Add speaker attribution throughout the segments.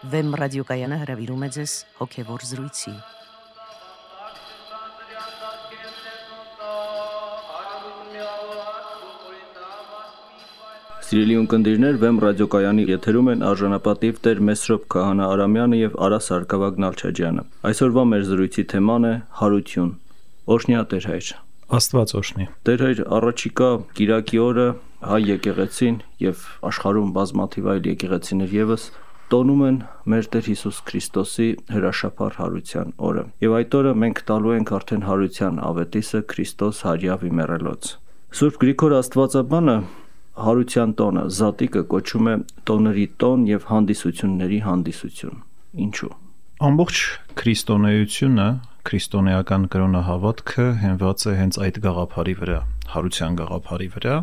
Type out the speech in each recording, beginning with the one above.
Speaker 1: Վեմ ռադիոկայանը հրավիրում է ձեզ հոգևոր զրույցի։
Speaker 2: Սիրելի ունկնդիրներ, Վեմ ռադիոկայանի եթերում են արժանապատիվ Տեր Մեսրոպ Քահանա Արամյանը եւ Արա Սարգսակյան Նալչաջյանը։ Այսօրվա մեր զրույցի թեման է հարություն։ Օրհնյա Տեր Հայր։
Speaker 3: Աստված օրհնի։
Speaker 2: Տեր Հայր, առաջիկա Կիրակի օրը հայ եկեղեցին եւ աշխարհում բազմաթիվ այլ եկեղեցիներ եւս տոնում են մեր Տեր Հիսուս Քրիստոսի հրաշափառ հարության օրը։ Եվ այդ օրը մենք տալու ենք արդեն հարության ավետիսը Քրիստոս հարյավի մեռելոց։ Սուրբ Գրիգոր Աստվածաբանը հարության տոնը Զատիկը կոչում է տոների տոն եւ հանդիսությունների հանդիսություն։ Ինչու՞։
Speaker 3: Ամբողջ քրիստոնեությունը, քրիստոնեական կրոնահավատքը հենված է հենց այդ գաղափարի վրա, հարության գաղափարի վրա,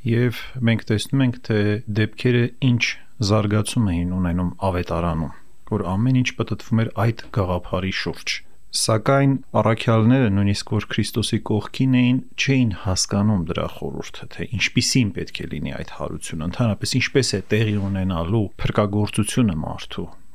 Speaker 3: եւ մենք տեսնում ենք, թե դեպքերը ինչ զարգացում էին ունենում ավետարանում, որ ամեն ինչ պատտվում էր այդ գաղափարի շուրջ։ Սակայն առաքյալները, նույնիսկ որ Քրիստոսի կողքին էին, չէին հասկանում դրա խորհուրդը, թե ինչպիսին պետք է լինի այդ հարությունը, ընդհանրապես ինչպես է տեղի ունենալու փրկagorցությունը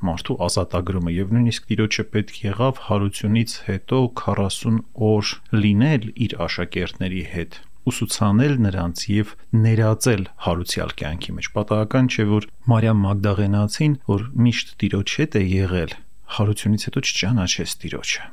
Speaker 3: մարդու ազատագրումը, եւ նույնիսկ Տիրոջը պետք եղավ հարությունից հետո 40 օր լինել իր աշակերտների հետ, ուսուցանել նրանց եւ ներածել հարուցյալ կյանքի մեջ։ Պատահական չէ, որ Մարիամ Մագդաղենացին, որ միշտ Տիրոջ հետ է եղել, հարությունից հետո չճանաչեց Տիրոջը։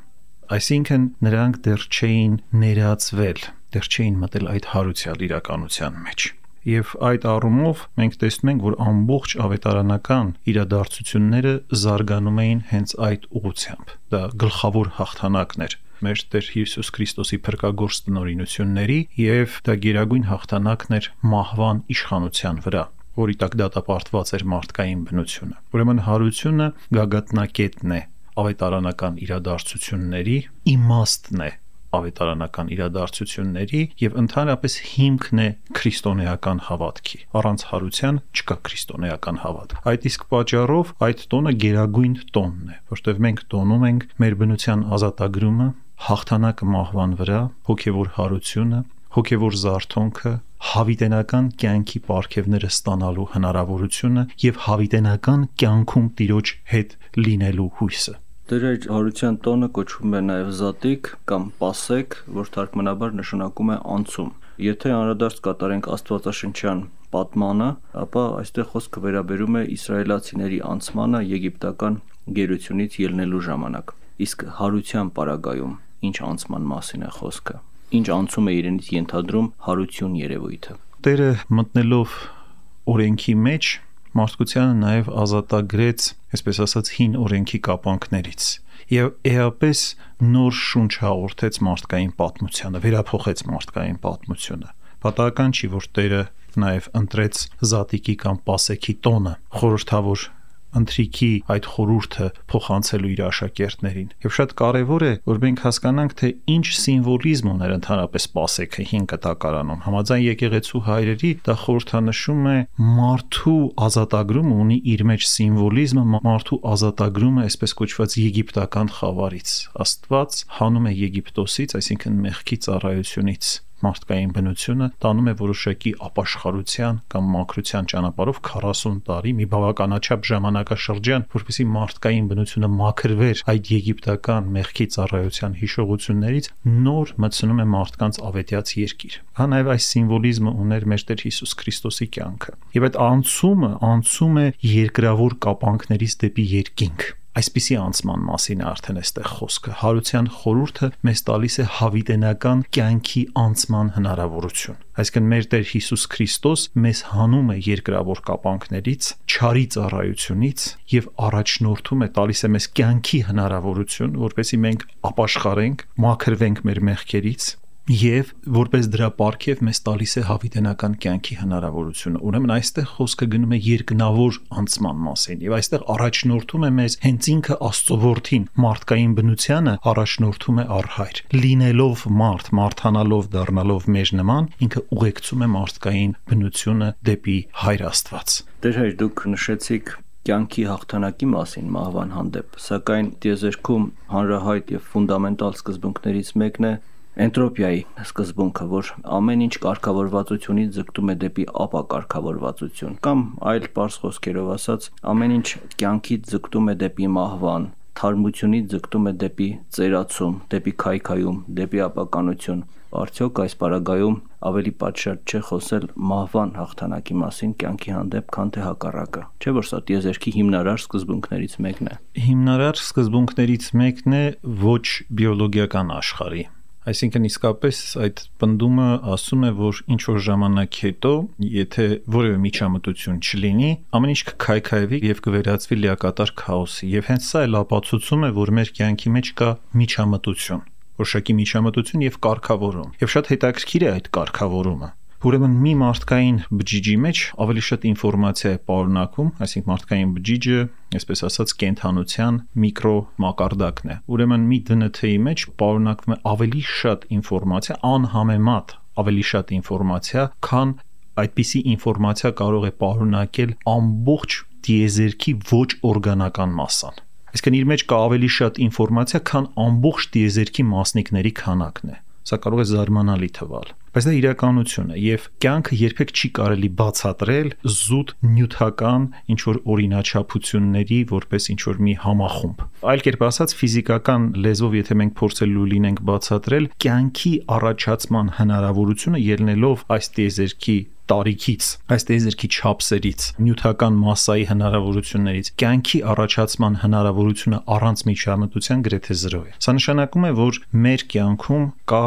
Speaker 3: Այսինքն նրանք դեռ չէին ներածվել, դեռ չէին մտել այդ հարուցյալ իրականության մեջ։ Եվ այդ առումով մենք տեսնում ենք, որ ամբողջ ավետարանական իրադարձությունները զարգանում էին հենց այդ ուղղությամբ։ Դա գլխավոր հաղթանակն էր մեր Տեր Հիսուս Քրիստոսի փրկagorց տնօրինությունների, եւ դա գերագույն հաղթանակն էր մահվան իշխանության վրա, որի տակ դատապարտված էր մարդկային բնությունը։ Ուրեմն հարությունը գագաթնակետն է ավետարանական իրադարձությունների, իմաստն է ավետարանական իրադարձությունների եւ ընդհանրապես հիմքն է քրիստոնեական հավատքի։ Առանց հարության չկա քրիստոնեական հավատք։ Այդ իսկ պատճառով այդ տոնը գերագույն տոնն է, որտեղ մենք տոնում ենք մեր բնության ազատագրումը, հաղթանակը մահվան վրա, հոգևոր հարությունը, հոգևոր զարթոնքը, հավիտենական կյանքի պարգևները ստանալու հնարավորությունը եւ հավիտենական կյանքում Տիրոջ հետ լինելու հույսը։
Speaker 2: Տեր Հայր, հարության տոնը կոչվում է նաև Զատիկ կամ Պասեք, որ թարգմանաբար նշանակում է անցում։ Եթե անդրադարձ կատարենք Աստվածաշնչյան պատմանը, ապա այստեղ խոսքը վերաբերում է իսրայելացիների անցմանը եգիպտական գերությունից ելնելու ժամանակ։ Իսկ հարության պարագայում ինչ անցման մասին է խոսքը։ Ինչ անցում է իրենից ենթադրում հարություն երևույթը։
Speaker 3: Տերը մտնելով օրենքի մեջ մարդկությանը նաև ազատագրեց, այսպես ասած, հին օրենքի կապանքներից եւ էապես նոր շունչ հաղորդեց մարդկային պատմությանը, վերափոխեց մարդկային պատմությունը։ Պատահական չի, որ Տերը նաև ընտրեց Զատիկի կամ Պասեքի տոնը, խորհրդավոր ընթրիքի այդ խորհուրդը փոխանցելու իր աշակերտներին։ Եվ շատ կարևոր է, որ մենք հասկանանք, թե ինչ սիմվոլիզմ ուներ ընդհանրապես Պասեքը հին կտակարանում։ Համաձայն եկեղեցու հայրերի դա խորհրդանշում է մարդու ազատագրումը, ունի իր մեջ սիմվոլիզմը, մարդու ազատագրումը այսպես կոչված եգիպտական խավարից։ Աստված հանում է Եգիպտոսից, այսինքն մեղքի ծառայությունից մարդկային բնությունը, տանում է որոշակի ապաշխարության կամ մաքրության ճանապարհով 40 տարի, մի բավականաչափ ժամանակաշրջան, որպեսզի մարդկային բնությունը մաքրվեր այդ եգիպտական մեղքի ծառայության հիշողություններից, նոր մտցնում է մարդկանց ավետյաց երկիր։ Հա նաև այս սիմվոլիզմը ուներ մեր Տեր Հիսուս Քրիստոսի կյանքը։ Եվ այդ անցում է երկրավոր կապանքներից դեպի երկինք։ Այսպիսի անցման մասին է արդեն այստեղ խոսքը։ Հարության խորհուրդը մեզ տալիս է հավիտենական կյանքի անցման հնարավորություն։ Այսինքն մեր Տեր Հիսուս Քրիստոս մեզ հանում է երկրավոր կապանքներից, չարի ծառայությունից եւ առաջնորդում է, տալիս է մեզ կյանքի հնարավորություն, որպեսզի մենք ապաշխարենք, մաքրվենք մեր մեղքերից եւ որպես դրա պարգև մեզ տալիս է հավիտենական կյանքի հնարավորությունը։ Ուրեմն այստեղ խոսքը գնում է երկնավոր անցման մասին եւ այստեղ առաջնորդում է մեզ հենց ինքը Աստծո որդին, մարդկային բնությանը առաջնորդում է առ Հայր։ Լինելով մարդ, մարդանալով, դառնալով մեր նման, ինքը ուղեկցում է մարդկային բնությունը դեպի Հայր Աստված։
Speaker 2: Տեր Հայր, դուք նշեցիք կյանքի հաղթանակի մասին մահվան հանդեպ, սակայն տիեզերքում հանրահայտ եւ ֆունդամենտալ սկզբունքներից մեկն է Էնտրոպիայի սկզբունքը, որ ամեն ինչ կարգավորվածությունից ձգտում է դեպի ապակարգավորվածություն, կամ այլ պարզ խոսքերով ասած, ամեն ինչ կյանքից ձգտում է դեպի մահվան, թարմությունից ձգտում է դեպի ծերացում, դեպի քայքայում, դեպի ապականություն։ Արդյոք այս պարագայում ավելի պատշաճ չէ խոսել մահվան հաղթանակի մասին կյանքի հանդեպ, քան թե հակառակը։ Չէ՞ որ սա տիեզերքի հիմնարար սկզբունքներից մեկն է։
Speaker 3: Հիմնարար սկզբունքներից մեկն է ոչ բիոլոգիական աշխարհի։ Այսինքն իսկապես այդ պնդումը ասում է, որ ինչ որ ժամանակ հետո, եթե որևէ միջամտություն չլինի, ամեն ինչ կքայքայվի եւ կվերածվի լիակատար քաոսի։ Եվ հենց սա էլ ապացուցում է, որ մեր կյանքի մեջ կա միջամտություն, որոշակի միջամտություն եւ կարգավորում։ Եվ շատ հետաքրքիր է այդ կարգավորումը։ Ուրեմն մի մարդկային բջիջի մեջ ավելի շատ ինֆորմացիա է պարունակում, այսինքն մարդկային բջիջը, այսպես ասած, կենթանության միկրո մակարդակն է։ Ուրեմն մի ԴՆԹ-ի մեջ պարունակվում է ավելի շատ ինֆորմացիա, անհամեմատ ավելի շատ ինֆորմացիա, քան այդպիսի ինֆորմացիա կարող է պարունակել ամբողջ տիեզերքի ոչ օրգանական մասան։ Այսինքն իր մեջ կա ավելի շատ ինֆորմացիա, քան ամբողջ տիեզերքի մասնիկների քանակն է։ Սա կարող է զարմանալի թվալ, բայց դա իրականություն է եւ կյանքը երբեք չի կարելի բացատրել զուտ նյութական ինչ որ օրինաչափությունների որպես ինչ որ մի համախումբ։ Այլ կերպ ասած, ֆիզիկական լեզվով եթե մենք փորձելու լինենք բացատրել կյանքի առաջացման հնարավորությունը ելնելով այս տիեզերքի տարիքից, այս տիեզերքի չափսերից, նյութական մասսայի հնարավորություններից, կյանքի առաջացման հնարավորությունը առանց միջամտության գրեթե 0 է։ Սա նշանակում է, որ մեր կյանքում կա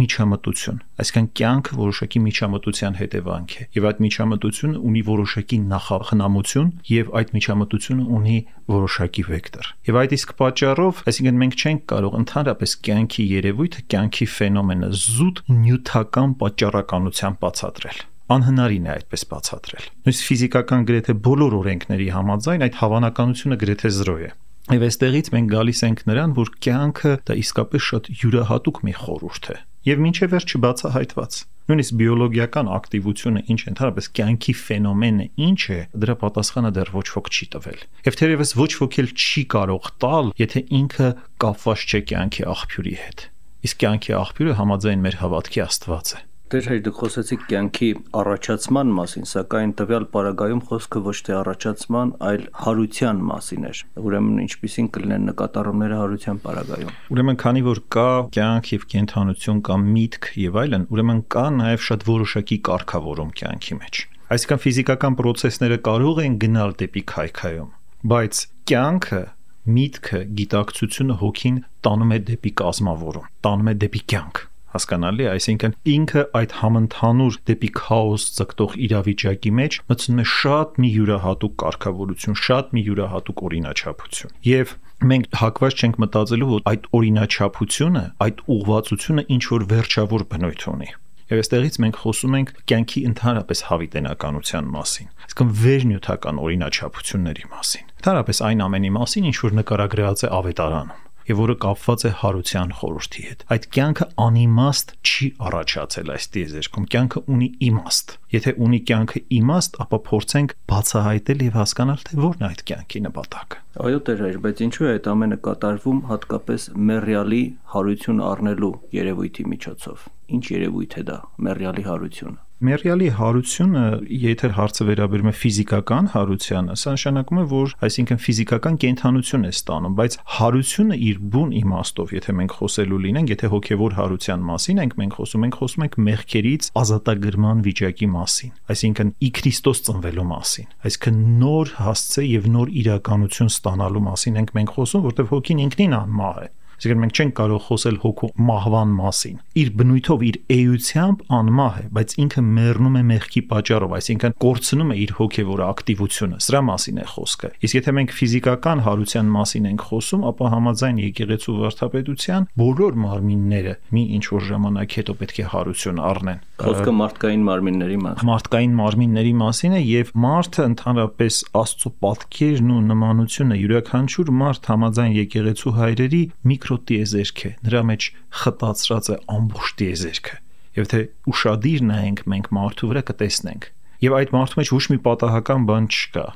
Speaker 3: միջամտություն, այսինքն կյանքը որոշակի միջամտության հետևանք է, եւ այդ միջամտությունը ունի որոշակի նախախնամություն եւ այդ միջամտությունը ունի որոշակի վեկտոր։ Եվ այդ իսկ պատճառով, այսինքն մենք չենք կարող ընդհանրապես կյանքի երևույթը, կյանքի ֆենոմենը զուտ նյութական պատճառականությամբ բացատրել։ Անհնարին է այդպես բացատրել։ Նույնիսկ ֆիզիկական գրեթե բոլոր օրենքների համաձայն այդ հավանականությունը գրեթե 0 է։ Եվ այստեղից մենք գալիս ենք նրան, որ կյանքը դա իսկապես շատ յուրահատուկ մի խորհուրդ է եւ մինչեւ վերջ չբացահայտված։ Նույնիսկ բիոլոգիական ակտիվությունը ինչ ընդհանրապես կյանքի ֆենոմենը ինչ է, դրա պատասխանը դեռ ոչ ոք չի տվել։ Եվ թերևս ոչ ոք էլ չի կարող տալ, եթե ինքը կապված չէ կյանքի աղբյուրի հետ։ Իսկ կյանքի աղբյուրը համաձայն մեր հավատքի Աստված է։
Speaker 2: Դեր հայր դուք խոսեցիք կյանքի առաջացման մասին, սակայն տվյալ պարագայում խոսքը ոչ թե առաջացման, այլ հարության մասին էր։ Ուրեմն ինչպիսին կլինեն նկատառումները հարության պարագայում։
Speaker 3: Ուրեմն քանի որ կա կյանք եւ կենթանություն, կա միտք եւ այլն, ուրեմն կա նաեւ շատ որոշակի կարգավորում կյանքի մեջ։ Այսինքն ֆիզիկական process-ները կարող են գնալ դեպի քայքայում, բայց կյանքը, միտքը, գիտակցությունը, հոգին տանում է դեպի կազմավորում, տանում է դեպի կյանք։ Հասկանալի է, այսինքն ինքը այդ համընդհանուր դեպի քաոս ձգտող իրավիճակի մեջ մտցնում է շատ մի յուրահատուկ կարգավորություն, շատ մի յուրահատուկ օրինաչափություն։ Եվ մենք հակված չենք մտածելու, որ այդ օրինաչափությունը, այդ ուղղվածությունը ինչ որ վերջավոր բնույթ ունի։ Եվ այստեղից մենք խոսում ենք կյանքի ընդհանրապես հավիտենականության մասին, այսինքն վերնյութական օրինաչափությունների մասին։ Ընդհանրապես այն ամենի մասին, ինչ որ նկարագրված է Ավետարանում եւ որը կապված է հարության խորհրդի հետ։ Այդ կյանքը անիմաստ չի առաջացել այս տիեզերքում, կյանքը ունի իմաստ։ Եթե ունի կյանքը իմաստ, ապա փորձենք բացահայտել եւ հասկանալ, թե որն է այդ կյանքի նպատակը։
Speaker 2: Այո, Տեր հայր, բայց ինչու է այդ ամենը կատարվում հատկապես մեռյալի հարություն առնելու երևույթի միջոցով։ Ինչ երևույթ է դա, մեռյալի հարությունը։
Speaker 3: Մեռյալի հարությունը, եթե հարցը վերաբերում է ֆիզիկական հարությանը, սա նշանակում է, որ այսինքն ֆիզիկական կենդանություն է ստանում, բայց հարությունը իր բուն իմաստով, եթե մենք խոսելու լինենք, եթե հոգևոր հարության մասին ենք խոսում ենք մեղքերից ազատագրման վիճակի մասին, այսինքն ի Քրիստոս ծնվելու մասին, այսինքն նոր հասցե եւ նոր իրականություն ստանալու մասին ենք խոսում, որտեղ հոգին ինքնին անմահ է։ Այսինքն մենք չենք կարող խոսել հոգու մահվան մասին։ Իր բնույթով, իր էությամբ անմահ է, բայց ինքը մեռնում է մեղքի պատճառով, այսինքն կորցնում է իր հոգևոր ակտիվությունը։ Սրա մասին է խոսքը։ Իսկ եթե մենք ֆիզիկական հարության մասին ենք խոսում, ապա համաձայն եկեղեցու վարդապետության բոլոր մարմինները մի ինչ որ ժամանակ հետո պետք է հարություն առնեն։
Speaker 2: Խոսքը մարդկային մարմինների մասին։
Speaker 3: Մարդկային մարմինների մասին է եւ մարդը ընդհանրապես Աստծո պատկերն ու նմանությունը յուրաքանչյուր մարդ համաձայն եկեղեցու հայրերի տիեզերք է, նրա մեջ խտացրած է ամբողջ տիեզերքը։ Եվ թե ուշադիր նայենք մենք մարդու վրա կտեսնենք։ Եվ այդ մարդու մեջ ոչ մի պատահական բան չկա,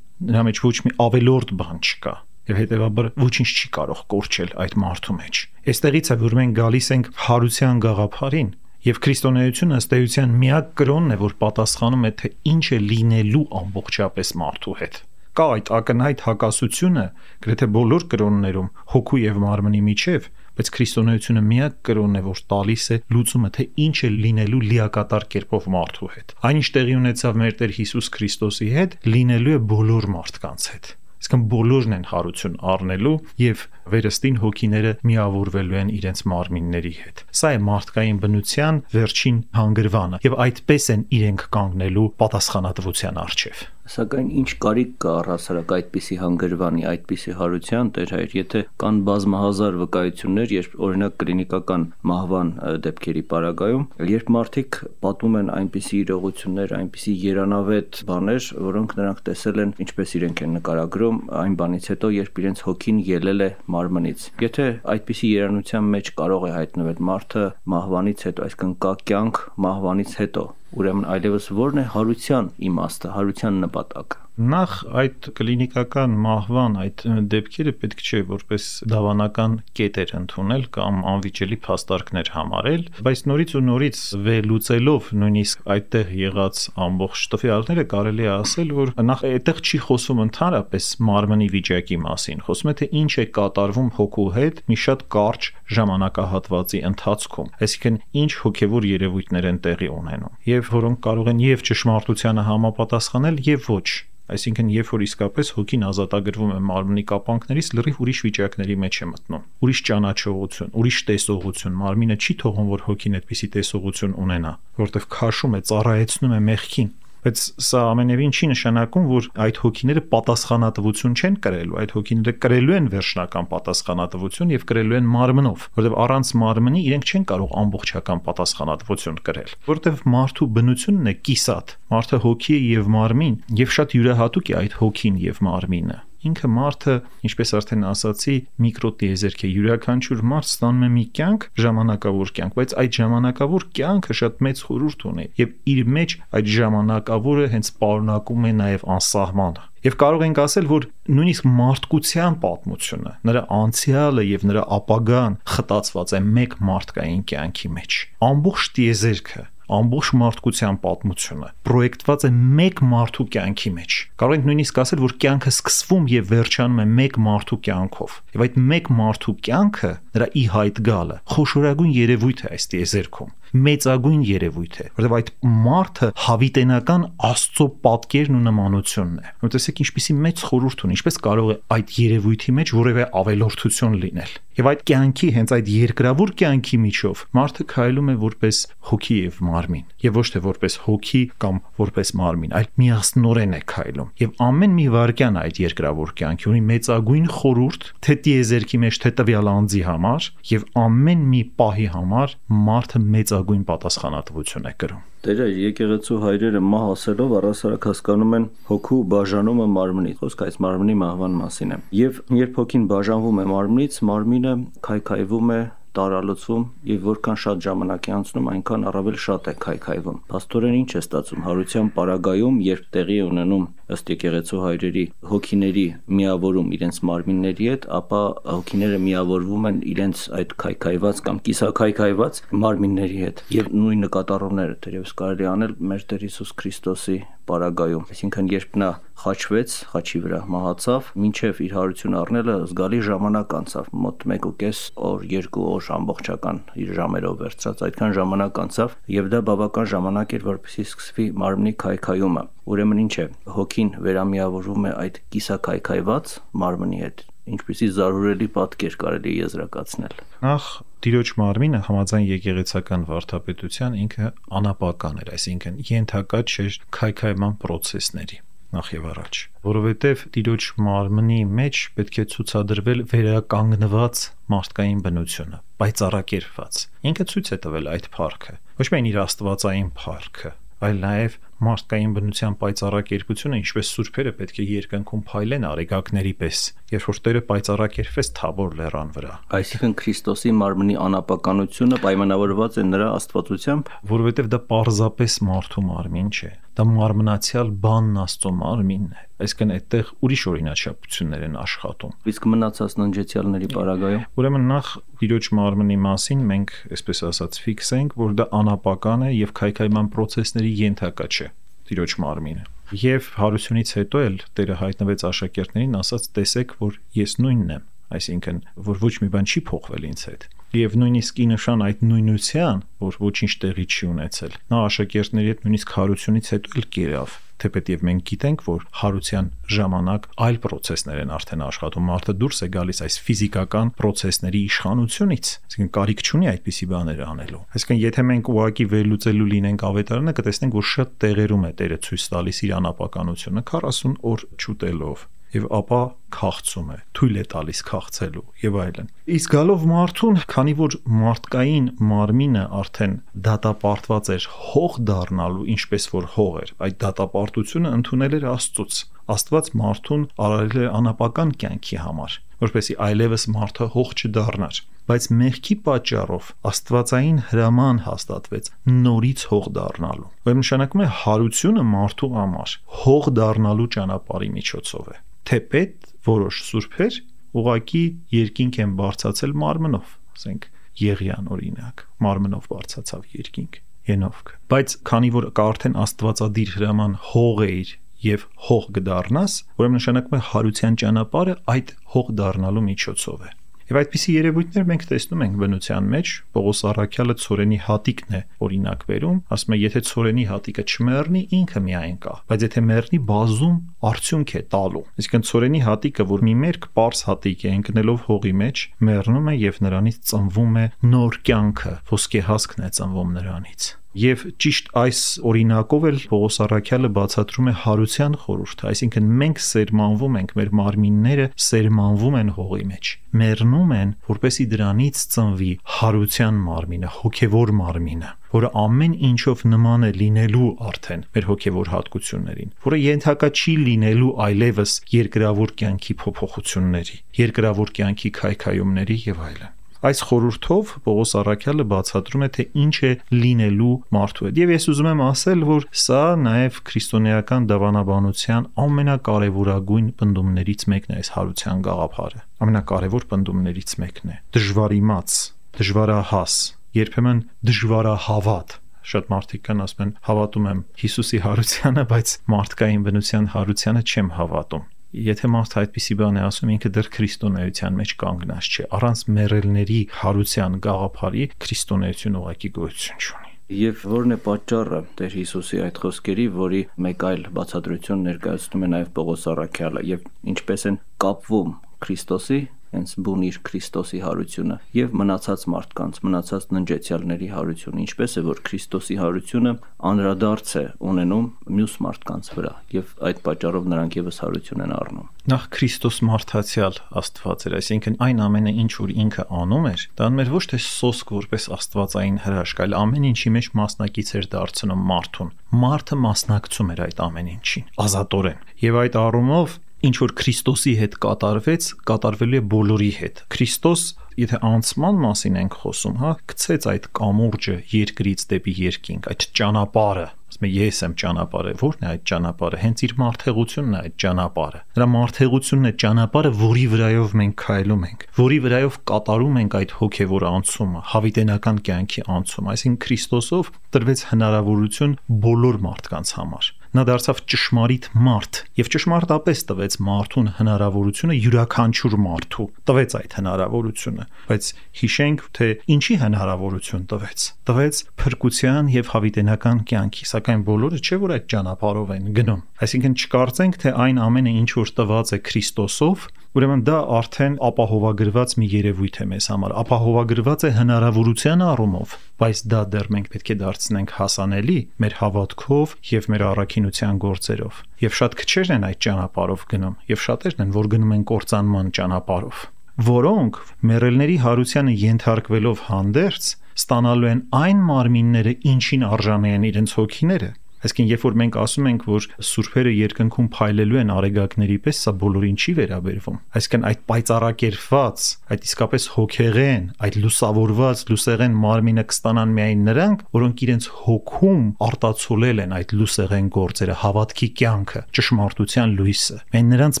Speaker 3: նրա մեջ ոչ մի ավելորդ բան չկա։ եւ հետեւաբար ոչինչ չի կարող կորչել այդ մարդու մեջ։ Այստեղից է, որ մենք գալիս ենք հարության գաղափարին, եւ քրիստոնեությունը ըստ էության միակ կրոնն է, որ պատասխանում է, թե ինչ է լինելու ամբողջապես մարդու հետ։ Կա այդ ակնհայտ հակասությունը գրեթե բոլոր կրոններում հոգու եւ մարմնի միջև, բայց քրիստոնեությունը միակ կրոնն է, որ տալիս է լուծումը, թե ինչ է լինելու լիակատար կերպով մարդու հետ։ Այն ինչ տեղի ունեցավ մեր Տեր Հիսուս Քրիստոսի հետ, լինելու է բոլոր մարդկանց հետ։ Իսկն բոլորն են հարություն առնելու եւ վերստին հոգիները միավորվելու են իրենց մարմինների հետ։ Սա է մարդկային բնության վերջին հանգրվանը եւ այդպես են իրենք կանգնելու պատասխանատվության առջև։
Speaker 2: Սակայն ինչ կարիք կա առհասարակ այդպիսի հանգրվանի, այդպիսի հարության, Տեր Հայր, եթե կան բազմահազար վկայություններ, երբ օրինակ կլինիկական մահվան դեպքերի պարագայում, երբ մարդիկ պատմում են այնպիսի իրողություններ, այնպիսի երանավետ բաներ, որոնք նրանք տեսել են, ինչպես իրենք են նկարագրում, այն բանից հետո, երբ իրենց հոգին ելել է մարմնից։ Եթե այդպիսի երանության մեջ կարող է հայտնվել մարդը մահվանից հետո, այսինքն կա կյանք մահվանից հետո, ուրեմն այլևս ո՞րն է հարության իմաստը, հարության նպատակը։
Speaker 3: Նախ այդ կլինիկական մահվան այդ դեպքերը պետք չէ որպես դավանական կետեր ընդունել կամ անվիճելի փաստարկներ համարել, բայց նորից ու նորից վերլուծելով նույնիսկ այդտեղ եղած ամբողջ տվյալները կարելի է ասել, որ նախ այդտեղ չի խոսում ընդհանրապես մարմնի վիճակի մասին, խոսում է թե ինչ է կատարվում հոգու հետ մի շատ կարճ ժամանակահատվածի ընթացքում, այսինքն ինչ հոգևոր երևույթներ են տեղի ունենում, եւ որոնք կարող են եւ ճշմարտությանը համապատասխանել եւ ոչ։ Այսինքն, երբ որ իսկապես հոգին ազատագրվում է մարմնի կապանքներից, լրիվ ուրիշ վիճակների մեջ է մտնում։ Ուրիշ ճանաչողություն, ուրիշ տեսողություն, մարմինը չի թողում, որ հոգին այդպիսի տեսողություն ունենա, որտեղ քաշում է, ծառայեցնում է մեղքին։ Բայց սա ամենևին չի նշանակում, որ այդ հոգիները պատասխանատվություն չեն կրելու, այդ հոգիները կրելու են վերջնական պատասխանատվություն եւ կրելու են մարմնով, որովհետեւ առանց մարմնի իրենք չեն կարող ամբողջական պատասխանատվություն կրել, որովհետեւ մարդու բնությունն է կիսատ, մարդը հոգի է եւ մարմին, եւ շատ յուրահատուկ է այդ հոգին եւ մարմինը։ Ինքը մարդը, ինչպես արդեն ասացի, միկրոտիեզերք է, յուրաքանչյուր մարդ ստանում է մի կյանք, ժամանակավոր կյանք, բայց այդ ժամանակավոր կյանքը շատ մեծ խորհուրդ ունի եւ իր մեջ այդ ժամանակավորը հենց պարունակում է նաեւ անսահմանը։ Եվ կարող ենք ասել, որ նույնիսկ մարդկության պատմությունը, նրա անցյալը եւ նրա ապագան խտացված է մեկ մարդկային կյանքի մեջ։ Ամբողջ տիեզերքը, ամբողջ մարդկության պատմությունը պրոյեկտված է մեկ մարդու կյանքի մեջ։ Կարող ենք նույնիսկ ասել, որ կյանքը սկսվում եւ վերջանում է մեկ մարդու կյանքով։ Եվ այդ մեկ մարդու կյանքը, նրա ի հայտ գալը, խոշորագույն երևույթ է այս տիեզերքում, մեծագույն երևույթ է, որովհետեւ այդ մարդը հավիտենական Աստծո պատկերն ու նմանությունն է։ Մտածեք ինչպիսի մեծ խորհուրդ ունի, ինչպես կարող է այդ երևույթի մեջ որևէ ավելորդություն լինել։ Եվ այդ կյանքի, հենց այդ երկրավոր կյանքի միջով մարդը քայլում է որպես հոգի եւ մարմին, եւ ոչ թե որպես հոգի կամ որպես մարմին, այլ միասնորեն է քայլում։ Եվ ամեն մի վայրկյան այդ երկրավոր կյանքի ունի մեծագույն խորհուրդ, թե տիեզերքի մեջ, թե տվյալ անձի համար, եւ ամեն մի պահի համար մարդը մեծագույն պատասխանատվություն է կրում։
Speaker 2: Տերը եկեղեցու հայրերը մահ ասելով առհասարակ հասկանում են հոգու բաժանումը մարմնից, խոսքը այս մարմնի մահվան մասին է։ Եվ երբ հոգին բաժանվում է մարմնից, մարմինը քայքայվում է, տարալուծվում եւ որքան շատ ժամանակ է անցնում, այնքան առավել շատ է քայքայվում։ Փաստորեն ինչ է ստացվում հարության պարագայում, երբ տեղի է ունենում ըստ եկեղեցու հայրերի հոգիների միավորում իրենց մարմինների հետ, ապա հոգիները միավորվում են իրենց այդ քայքայված կամ կիսաքայքայված մարմինների հետ եւ նույն նկատառումները դերևս կարելի անել մեր Տեր Հիսուս Քրիստոսի պարագայում, այսինքն երբ նա խաչվեց, խաչի վրա մահացավ, մինչև իր հարություն առնելը զգալի ժամանակ անցավ, մոտ 1.5 օր, 2 օր ամբողջական իր ժամերով վերցրած, այդքան ժամանակ անցավ եւ դա բավական ժամանակ էր, որպեսզի սկսվի մարմնի քայքայումը։ Ուրեմն ինչ է, հոգին վերամիավորվում է այդ կիսաքայքայված մարմնի հետ, ինչպեսի զարհուրելի պատկեր կարելի եզրակացնել։
Speaker 3: Նախ Տիրոջ մարմինը համաձայն եկեղեցական վարդապետության ինքը անապական էր, այսինքն ենթակա չէր քայքայման process-ների նախ եւ առաջ, որովհետեւ Տիրոջ մարմնի մեջ պետք է ցուցադրվել վերականգնված մարդկային բնությունը, պայծառակերպված։ Ինքը ցույց է տվել այդ փառքը, ոչ միայն իր աստվածային փառքը, այլ նաև մարդկային բնության պայծառակերպությունը, ինչպես սուրբերը պետք է երկնքում փայլեն արեգակների պես, երբ որ Տերը պայծառակերպվեց Թաբոր լեռան վրա։
Speaker 2: Այսինքն Քրիստոսի մարմնի անապականությունը պայմանավորված է նրա աստվածությամբ,
Speaker 3: որովհետև դա պարզապես մարդու մարմին չէ։ դա մարմնացիալ բանն Աստծո մարմինն է։ Այսինքն այդտեղ ուրիշ օրինաչափություններ են աշխատում։
Speaker 2: Իսկ մնացած ննջեցյալների պարագայում
Speaker 3: Ուրեմն նախ Տիրոջ մարմնի մասին մենք, այսպես ասած, ֆիքսենք, որ դա անապական է եւ քայքայման process-ների ենթակա չէ Տիրոջ մարմինը։ Եվ հարությունից հետո էլ Տերը հայտնվեց աշակերտներին, ասաց. տեսեք, որ ես նույնն եմ, այսինքն որ ոչ մի բան չի փոխվել ինձ հետ։ Եվ նույնիսկ ի նշան այդ նույնության, որ ոչինչ տեղի չի ունեցել, նա աշակերտների հետ նույնիսկ հարությունից հետո էլ կերավ, թեպետև մենք գիտենք, որ հարության ժամանակ այլ process-ներ են արդեն աշխատում, մարդը դուրս է գալիս այս ֆիզիկական process-ների իշխանությունից, այսինքն կարիք չունի այդպիսի բաներ անելու։ Այսինքն եթե մենք ուղղակի վերլուծելու լինենք ավետարանը, կտեսնենք, որ շատ տեղերում է Տերը ցույց տալիս իր անապականությունը 40 օր չուտելով եւ ապա քաղցում է, թույլ է տալիս քաղցելու եւ այլն։ Իսկ գալով մարդուն, քանի որ մարդկային մարմինը արդեն դատապարտված էր հող դառնալու, ինչպես որ հող էր, այդ դատապարտությունը ընդունել էր Աստծուց։ Աստված մարդուն արարել է անապական կյանքի համար, որպեսզի այլևս մարդը հող չդառնար։ Բայց մեղքի պատճառով աստվածային հրաման հաստատվեց նորից հող դառնալու։ Որ նշանակում է հարությունը մարդու համար հող դառնալու ճանապարհի միջոցով է։ Թեպետ որոշ սուրբեր ուղակի երկինք են բարձացել մարմնով, ասենք Եղիան օրինակ, մարմնով բարձացավ երկինք, Հենովք։ Բայց քանի որ կա արդեն աստվածադիր հրաման հող էր եւ հող կդառնաս, ուրեմն նշանակում է հարության ճանապարհը այդ հող դառնալու միջոցով է։ Եվ այդպիսի երևույթներ մենք տեսնում ենք բնության մեջ, Պողոս առաքյալը ցորենի հատիկն է օրինակ վերում, ասում է եթե ցորենի հատիկը չմեռնի, ինքը միայն կա, բայց եթե մեռնի, բազում արդյունք է տալու։ Այսինքն ցորենի հատիկը, որ մի մերկ պարզ հատիկ է ընկնելով հողի մեջ, մեռնում է եւ նրանից ծնվում է նոր կյանքը, ոսկեհասկն է ծնվում նրանից։ Եվ ճիշտ այս օրինակով էլ Պողոս առաքյալը բացատրում է հարության խորհուրդը, այսինքն մենք սերմանվում ենք, մեր մարմինները սերմանվում են հողի մեջ, մեռնում են, որպեսզի դրանից ծնվի հարության մարմինը, հոգևոր մարմինը, որը ամեն ինչով նման է լինելու արդեն մեր հոգևոր հատկություններին, որը ենթակա չի լինելու այլևս երկրավոր կյանքի փոփոխությունների, երկրավոր կյանքի քայքայումների եւ այլն։ Այս խորհրդով Պողոս առաքյալը բացատրում է, թե ինչ է լինելու մարդու հետ։ Եվ ես ուզում եմ ասել, որ սա նաև քրիստոնեական դավանաբանության ամենակարևորագույն պնդումներից մեկն է, այս հարության գաղափարը։ Ամենակարևոր պնդումներից մեկն է։ Դժվարիմաց, դժվարահաս, երբեմն դժվարահավատ։ Շատ մարդիկ կան ասում են, հավատում եմ Հիսուսի հարությանը, բայց մարդկային բնության հարությանը չեմ հավատում։ Եթե մարդը այդպիսի բան է ասում, ինքը դեռ քրիստոնեության մեջ կանգնած չէ։ Առանց մեռելների հարության գաղափարի քրիստոնեություն ուղղակի գոյություն չունի։
Speaker 2: Եվ որն է պատճառը Տեր Հիսուսի այդ խոսքերի, որի մեկ այլ բացատրություն ներկայացնում է նաև Պողոս առաքյալը, եւ ինչպես են կապվում Քրիստոսի հենց բուն իր Քրիստոսի հարությունը եւ մնացած մարդկանց, մնացած ննջեցյալների հարությունը, ինչպես է որ Քրիստոսի հարությունը անդրադարձ է ունենում մյուս մարդկանց վրա եւ այդ պատճառով նրանք եւս հարություն են առնում։
Speaker 3: Նախ Քրիստոս մարդացյալ Աստված էր, այսինքն այն ամենը ինչ որ ինքը անում էր, դա անում էր ոչ թե սոսկ որպես աստվածային հրաշք, այլ ամեն ինչի մեջ մասնակից էր դարձնում մարդուն։ Մարդը մասնակցում էր այդ ամեն ինչին, ազատորեն։ Եվ այդ առումով ինչ որ Քրիստոսի հետ կատարվեց, կատարվելու է բոլորի հետ։ Քրիստոս, եթե անցման մասին ենք խոսում, գցեց այդ կամուրջը երկրից դեպի երկինք, այդ ճանապարհը, ասում է ես եմ ճանապարհը, ո՞րն է այդ ճանապարհը, հենց իր մարդեղությունն է այդ ճանապարհը։ Նրա մարդեղությունն է ճանապարհը, որի վրայով մենք քայլում ենք, որի վրայով կատարում ենք այդ հոգևոր անցումը, հավիտենական կյանքի անցումը, այսինքն Քրիստոսով տրվեց հնարավորություն բոլոր մարդկանց համար։ Նա դարձավ ճշմարիտ մարդ եւ ճշմարտապես տվեց մարդուն հնարավորությունը, յուրաքանչյուր մարդու տվեց այդ հնարավորությունը, բայց հիշենք, թե ինչի հնարավորություն տվեց փրկության եւ հավիտենական կյանքի, սակայն բոլորը չէ որ այդ ճանապարհով են գնում։ Այսինքն չկարծենք, թե այն ամենը ինչ որ տված է Քրիստոսով, ուրեմն դա արդեն ապահովագրված մի երևույթ է մեզ համար, ապահովագրված է հնարավորության առումով, բայց դա դեռ մենք պետք է դարձնենք հասանելի մեր հավատքով եւ մեր առաքինության գործերով։ Եվ շատ քչերն են այդ ճանապարհով գնում, եւ շատերն են, որ գնում են կործանման ճանապարհով, որոնք մեռելների հարությանը ենթարկվելով հանդերձ ստանալու են այն մարմինները, ինչին արժանի են իրենց հոգիները։ Այսինքն, երբ որ մենք ասում ենք, որ սուրբերը երկնքում փայլելու են արեգակների պես, սա բոլորին չի վերաբերվում։ Այսինքն, այդ պայծառակերպված, այդ իսկապես հոգեղեն, այդ լուսավորված լուսեղեն մարմինը կստանան միայն նրանք, որոնք իրենց հոգում արտացոլել են այդ լուսեղեն գործերը, հավատքի կյանքը, ճշմարտության լույսը։ Միայն նրանց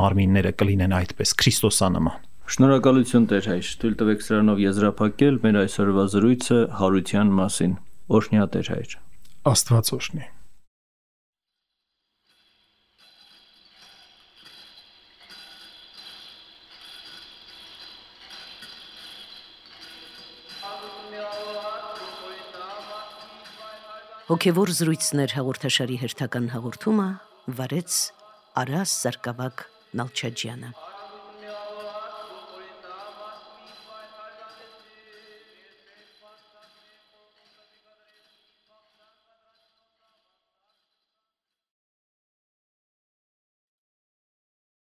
Speaker 3: մարմինները կլինեն այդպես Քրիստոսանման։
Speaker 2: Շնորհակալություն Տեր հայր, թույլ տվեք սրանով եզրափակել մեր այսօրվա զրույցը հարության մասին։ Օրհնյա Տեր հայր։
Speaker 3: Աստված օրհնի։
Speaker 1: Հոգևոր զրույցներ հաղորդաշարի հերթական հաղորդումը վարեց Արաս Սարգսակ Նալչաջյանը։